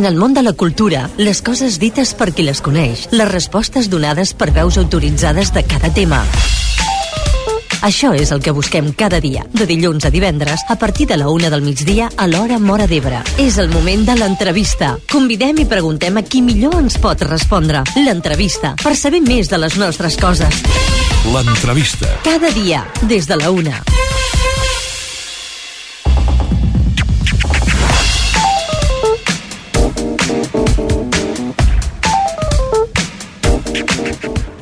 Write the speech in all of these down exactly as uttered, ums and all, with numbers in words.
En el món de la cultura, les coses dites per qui les coneix, les respostes donades per veus autoritzades de cada tema. Això és el que busquem cada dia, de dilluns a divendres, a partir de la una del migdia a l'hora Móra d'Ebre. És el moment de l'entrevista. Convidem i preguntem a qui millor ens pot respondre. L'entrevista, per saber més de les nostres coses. L'entrevista. Cada dia, des de la una.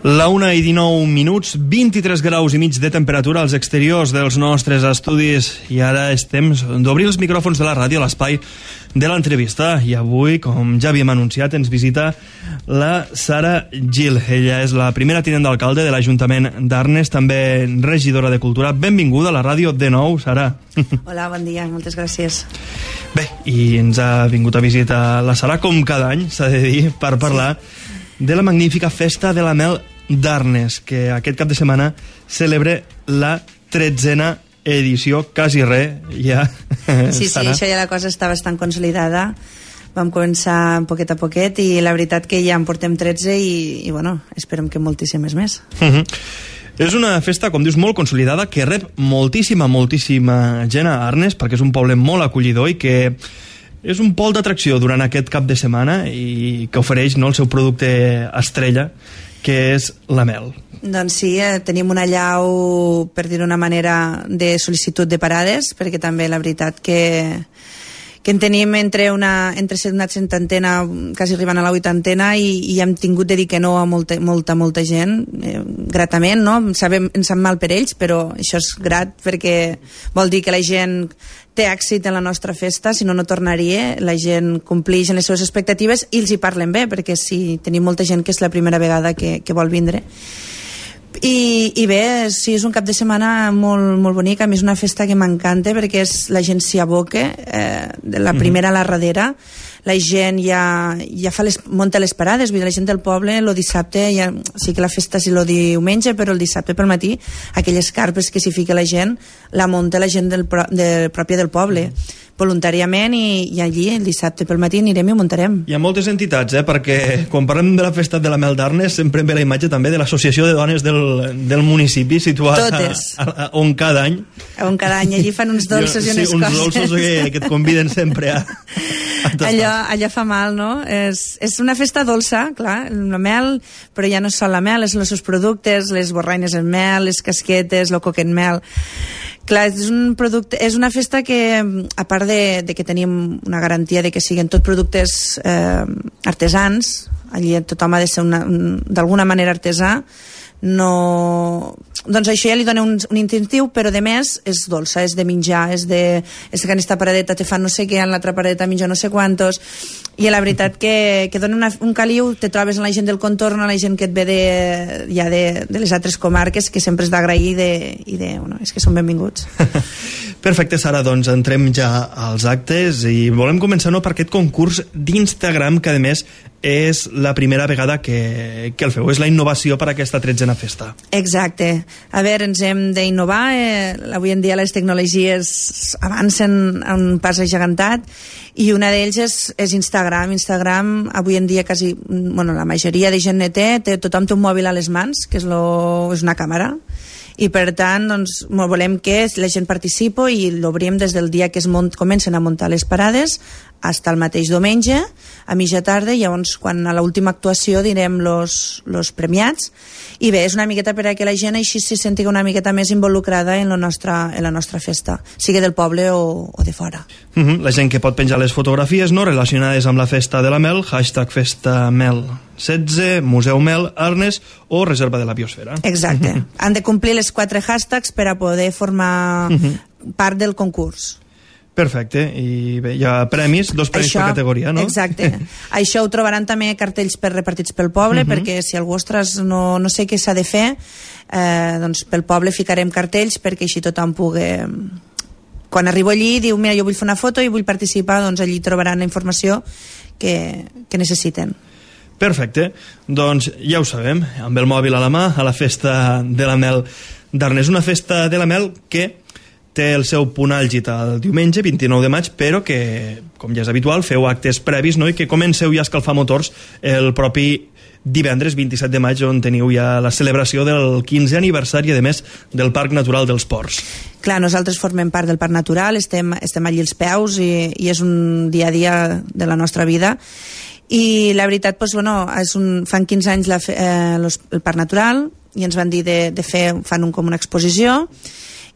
La una i dinou minuts, vint-i-tres graus i mig de temperatura als exteriors dels nostres estudis, i ara és temps d'obrir els micròfons de la ràdio a l'espai de l'entrevista. I avui, com ja havíem anunciat, ens visita la Sara Gil. Ella és la primera tinent d'alcalde de l'Ajuntament d'Arnes, també regidora de Cultura. Benvinguda a la ràdio de nou, Sara. Hola, bon dia, moltes gràcies. Bé, i ens ha vingut a visitar la Sara, com cada any, s'ha de dir, per parlar sí. de la magnífica Festa de la Mel d'Arnes, que aquest cap de setmana celebra la tretzena edició, quasi res, ja. Sí, sí, això ja la cosa està bastant consolidada. Vam començar poquet a poquet i la veritat que ja en portem tretze i, i bueno, esperem que moltíssimes més. Uh-huh. És una festa, com dius, molt consolidada, que rep moltíssima, moltíssima gent a Arnes, perquè és un poble molt acollidor i que és un pol d'atracció durant aquest cap de setmana i que ofereix, no, el seu producte estrella, que és la mel. Doncs sí, eh, tenim una llau, per dir-ho d'una manera, de sol·licitud de parades, perquè també la veritat que, que en tenim entre una, entre una setantena, quasi arribant a la vuitantena, i, i hem tingut de dir que no a molta, molta, molta gent, eh, gratament, no? Sabem, ens sap mal per ells, però això és grat, perquè vol dir que la gent té èxit en la nostra festa, si no, no tornaria. La gent complix en les seves expectatives i els hi parlen bé, perquè sí, tenim molta gent que és la primera vegada que, que vol vindre. I, i bé, sí, és un cap de setmana molt, molt bonic. A mi és una festa que m'encanta perquè és, la gent s'hi aboca, eh, de la primera a la darrera. La gent ja, ja fa les, munta les parades, vull dir, la gent del poble el dissabte, ja, sí que la festa és el diumenge, però el dissabte pel matí aquelles carpes que s'hi fica la gent la munta la gent del, de, pròpia del poble voluntàriament, i, i allí el dissabte pel matí anirem i ho muntarem. Hi ha moltes entitats, eh? Perquè quan parlem de la festa de la Mel d'Arnes sempre em ve la imatge també de l'associació de dones del, del municipi situat a, a, a, on cada any on cada any allí fan uns dolços jo, i unes sí, uns coses uns dolços que, que et conviden sempre a, a allò, allò fa mal, no? És, és una festa dolça, clar, la mel, però ja no és sol la mel, és els seus productes, les borraines en mel, les casquetes, el coc en mel. Clar, és un producte, és una festa que, a part de, de que tenim una garantia de que siguin tot productes eh, artesans, allí tothom ha de ser una, un, d'alguna manera artesà, no... doncs això ja li dona un, un incentiu, però de més és dolça, és de menjar, és de, és que en aquesta paradeta te fan no sé què, en l'altra paradeta menja no sé quantos, i la veritat que, que dona una, un caliu, te trobes en la gent del contorn, la gent que et ve de, ja de, de les altres comarques, que sempre és d'agrair i de, i de, bueno, és que són benvinguts. Perfecte, Sara, doncs entrem ja als actes i volem començar no, per aquest concurs d'Instagram, que a més és la primera vegada que, que el feu, és la innovació per a aquesta tretzena festa. Exacte. A veure, ens hem d'innovar, eh, avui en dia les tecnologies avancen a un pas agegantat i una d'ells és, és Instagram. Instagram avui en dia quasi, bueno, la majoria de gent ne té, té, tothom té un mòbil a les mans, que és, lo, és una càmera, i per tant doncs, volem que la gent participi i l'obrim des del dia que es mont, comencen a muntar les parades fins al mateix diumenge a mitja tarda, i llavors quan a l'última actuació direm los, los premiats, i bé, és una miqueta per a que la gent així se senti una miqueta més involucrada en la nostra, en la nostra festa, sigui del poble o, o de fora. Uh -huh. La gent que pot penjar les fotografies no relacionades amb la festa de la mel, hashtag festa mel setze, Museu Mel, Arnes o Reserva de la Biosfera. Exacte. Uh -huh. Han de complir les quatre hashtags per a poder formar uh -huh. part del concurs. Perfecte, i bé, hi ha premis, dos premis això, per categoria, no? Exacte. Això ho trobaran també cartells per repartits pel poble, uh -huh. perquè si algú, ostres, no, no sé què s'ha de fer, eh, doncs pel poble ficarem cartells perquè així tothom pugui... Quan arribo allí diu, mira, jo vull fer una foto i vull participar, doncs allí trobaran la informació que, que necessiten. Perfecte, doncs ja ho sabem, amb el mòbil a la mà, a la festa de la mel d'Arnes. Una festa de la mel que té el seu punt àlgid el diumenge, vint-i-nou de maig, però que, com ja és habitual, feu actes previs, no?, i que comenceu ja a escalfar motors el propi divendres vint-i-set de maig, on teniu ja la celebració del quinzè aniversari, a més, del Parc Natural dels Ports. Clar, nosaltres formem part del Parc Natural, estem, estem allí als peus i, i és un dia a dia de la nostra vida. I la veritat, doncs, bueno, és un, fan quinze anys la, eh, los, el Parc Natural i ens van dir de, de fer, fan un, com una exposició,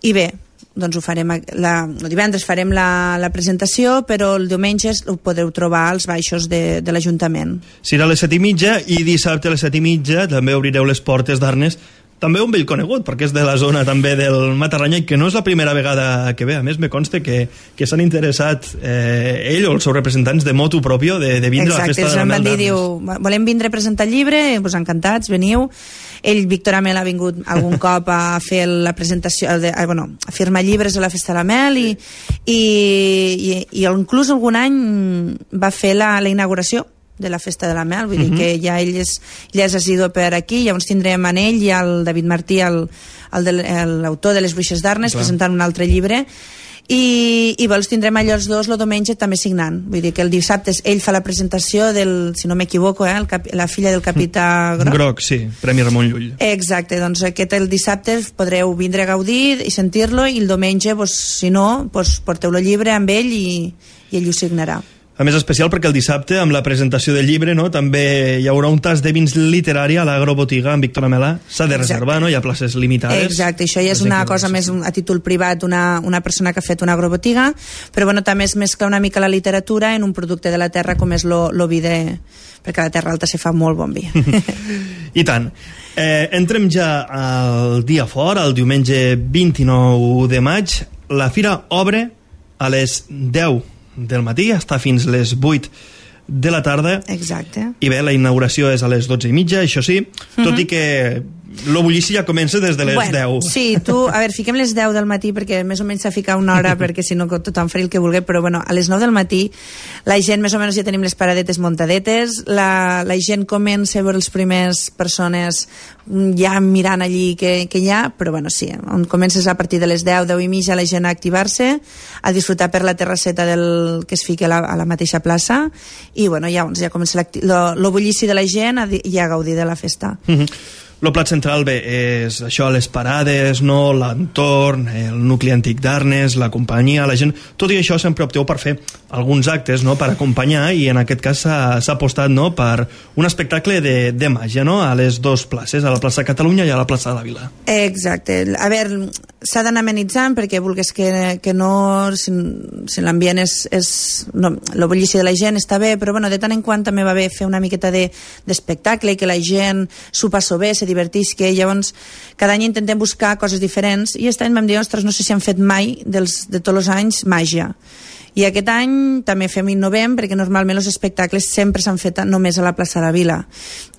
i bé, doncs ho farem, la, el divendres farem la, la presentació, però el diumenge ho podeu trobar als baixos de, de l'Ajuntament. Serà a les set i mitja i dissabte a les set i mitja també obrireu les portes d'Arnes, també un vell conegut, perquè és de la zona també del Matarranya i que no és la primera vegada que ve. A més, me consta que, que s'han interessat eh, ell o els seus representants de motu propio de, de vindre Exacte, a la festa de la Mel d'Arnes. Exacte, diu, volem vindre a presentar el llibre, doncs encantats, veniu. Ell, Víctor Amel, ha vingut algun cop a fer la presentació, de, a, bueno, a firmar llibres a la Festa de la Mel i, i, i, i inclús algun any va fer la, la inauguració de la Festa de la Mel, vull uh-huh. dir que ja ell és, ja és assidu per aquí, llavors tindrem en ell i el David Martí, l'autor de Les Bruixes d'Arnes, presentant un altre llibre. I, i vols tindrem allò els dos el diumenge també signant, vull dir que el dissabte ell fa la presentació del, si no m'equivoco, eh, el cap, la filla del capità Groc. Groc, sí, Premi Ramon Llull. Exacte, doncs aquest el dissabte podreu vindre a gaudir i sentir-lo i el diumenge, doncs, si no, doncs, porteu el llibre amb ell i, i ell ho signarà. A més, especial perquè el dissabte, amb la presentació del llibre, no, també hi haurà un tas de vins literari a l'Agrobotiga amb Víctor Amelà. S'ha de reservar, no? Hi ha places limitades. Exacte, això ja és una cosa més a títol privat, una, una persona que ha fet una agrobotiga, però bueno, també es mescla una mica la literatura en un producte de la terra com és lo, lo vi de... perquè a la Terra Alta se fa molt bon vi. I tant. Eh, entrem ja al dia fora, el diumenge vint-i-nou de maig. La fira obre a les deu del matí, està fins les vuit de la tarda. Exacte. I bé, la inauguració és a les dotze i mitja, això sí, tot mm-hmm. i que lo bullici ja comença des de les bueno, deu. Sí, tu, a veure, fiquem les deu del matí perquè més o menys s'ha ficat una hora perquè si no tothom farà el que vulgui, però bueno, a les nou del matí la gent més o menys ja tenim les paradetes muntadetes, la, la gent comença a veure les primeres persones ja mirant allí que, que hi ha, però bueno, sí, on comences a partir de les deu, deu i mitja la gent a activar-se, a disfrutar per la terrasseta del, que es fica a la, a la mateixa plaça i bueno, ja, ja comença lo, lo bullici de la gent a, i a gaudir de la festa. Mm-hmm. El plat central, bé, és això, les parades, no, l'entorn, el nucli antic d'Arnes, la companyia, la gent... Tot i això sempre opteu per fer alguns actes, no?, per acompanyar, i en aquest cas s'ha apostat, no?, per un espectacle de, de màgia, no?, a les dues places, a la plaça Catalunya i a la plaça de la Vila. Exacte. A veure, s'ha d'anar amenitzant perquè vulguis que, que no... Si, si l'ambient és... és no, el bullici de la gent està bé, però bueno, de tant en quant també va bé fer una miqueta d'espectacle de, i que la gent s'ho passo bé, se divertisca, llavors cada any intentem buscar coses diferents i aquest any vam dir, ostres, no sé si han fet mai dels, de tots els anys màgia. I aquest any també fem innovem perquè normalment els espectacles sempre s'han fet només a la plaça de la Vila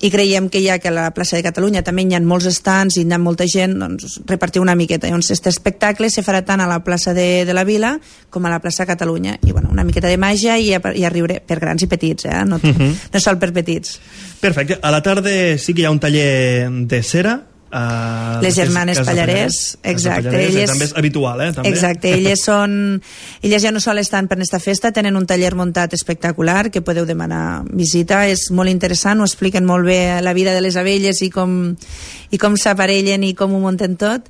i creiem que ja que a la plaça de Catalunya també hi ha molts estants i hi ha molta gent, doncs repartir una miqueta. Llavors aquest espectacle se farà tant a la plaça de, de la Vila com a la plaça de Catalunya i bueno, una miqueta de màgia i a, i a riure per grans i petits, eh? no, uh-huh. no sol per petits. Perfecte. A la tarda sí que hi ha un taller de cera. Uh, les germanes Pallarès, exacte, Pallarès, elles, també és habitual, eh? També. Exacte, elles són elles ja no sols estan per aquesta festa, tenen un taller muntat espectacular que podeu demanar visita, és molt interessant, ho expliquen molt bé la vida de les abelles i com, i com s'aparellen i com ho munten tot,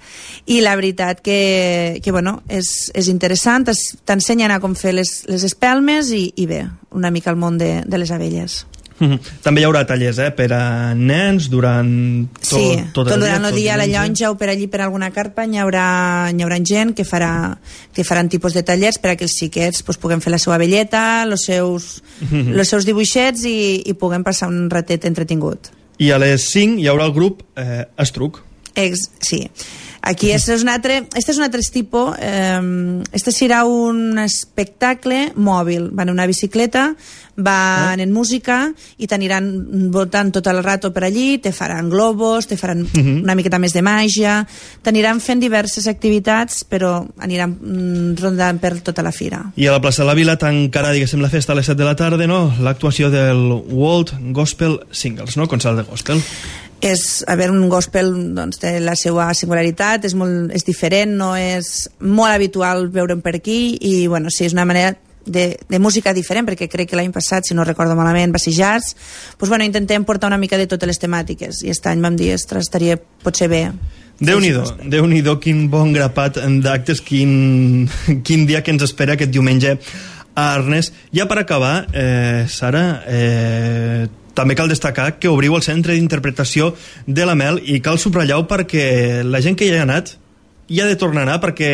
i la veritat que, que bueno, és, és interessant, t'ensenyen a com fer les, les espelmes i, i bé, una mica el món de, de les abelles. Mm-hmm. També hi haurà tallers eh, per a nens durant tot, sí, tot, tot el durant dia, el dia a la llonja o per allí per alguna carpa hi haurà, hi haurà gent que, farà, que faran tipus de tallers per a que els xiquets pues, puguem fer la seva velleta, els seus, mm-hmm. els seus dibuixets i, i puguem passar un ratet entretingut. I a les cinc hi haurà el grup eh, Estruc. Ex, sí. Aquí este és un altre, este és un altre tipus, eh, este serà un espectacle mòbil, van en una bicicleta, van ah. en música i t'aniran voltant tot el rato per allí, te faran globos, te faran uh-huh. una miqueta més de màgia, t'aniran fent diverses activitats, però aniran mm, rondant per tota la fira. I a la plaça de la Vila tancarà, diguéssim, la festa a les set de la tarda, no?, l'actuació del World Gospel Singles, no?, concert de gospel. és, a veure, un gospel doncs, té la seva singularitat, és, molt, és diferent, no és molt habitual veure'n per aquí, i bueno, sí, és una manera de, de música diferent, perquè crec que l'any passat, si no recordo malament, va ser jazz. Doncs, bueno, intentem portar una mica de totes les temàtiques, i aquest any vam dir, ostres, estaria potser bé. Déu-n'hi-do, Déu-n'hi-do, quin bon grapat d'actes, quin, quin dia que ens espera aquest diumenge a Arnes. Ja per acabar, eh, Sara, eh, també cal destacar que obriu el Centre d'Interpretació de la Mel, i cal subratllar-ho perquè la gent que hi ha anat hi ha de tornar a anar, perquè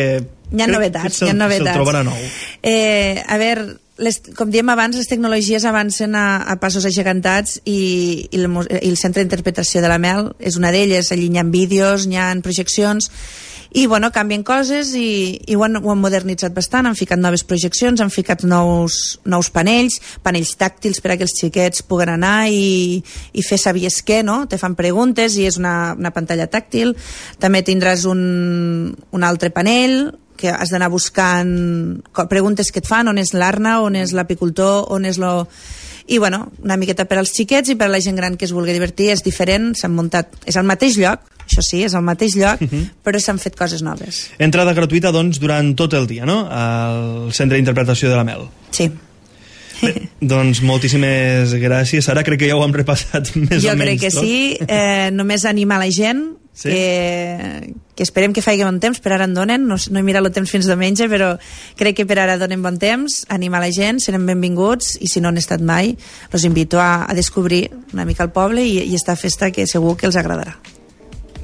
hi ha novetats, hi ha novetats. Se'l trobarà nou. Eh, a veure, les, com diem abans, les tecnologies avancen a, a passos agegantats, i, i, el, i el Centre d'Interpretació de la Mel és una d'elles. Allí hi ha vídeos, hi ha projeccions, i bueno, canvien coses, i, i ho, han, ho han modernitzat bastant, han ficat noves projeccions, han ficat nous, nous panells, panells tàctils per a que els xiquets puguen anar i, i fer sabies què, no? Te fan preguntes i és una, una pantalla tàctil. També tindràs un, un altre panell que has d'anar buscant preguntes que et fan, on és l'arna, on és l'apicultor, on és lo... I bueno, una miqueta per als xiquets i per a la gent gran que es vulgui divertir. És diferent, s'han muntat, és al mateix lloc, això sí, és al mateix lloc, uh -huh. però s'han fet coses noves. Entrada gratuïta, doncs, durant tot el dia, no?, al Centre d'Interpretació de la Mel. Sí. Bé, doncs moltíssimes gràcies. Ara crec que ja ho hem repassat més jo o menys. Jo crec que tot. sí, eh, només animar la gent, sí? que, que esperem que faci bon temps. Per ara en donen, no, no he mirat el temps fins diumenge, però crec que per ara donen bon temps. Animar la gent, serem benvinguts, i si no han estat mai, els invito a, a descobrir una mica el poble i, i esta festa, que segur que els agradarà.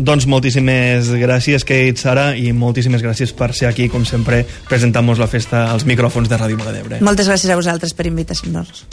Doncs moltíssimes gràcies, Kate, Sara, i moltíssimes gràcies per ser aquí, com sempre, presentant-nos la festa als micròfons de Ràdio Móra d'Ebre. Moltes gràcies a vosaltres per invitar-nos.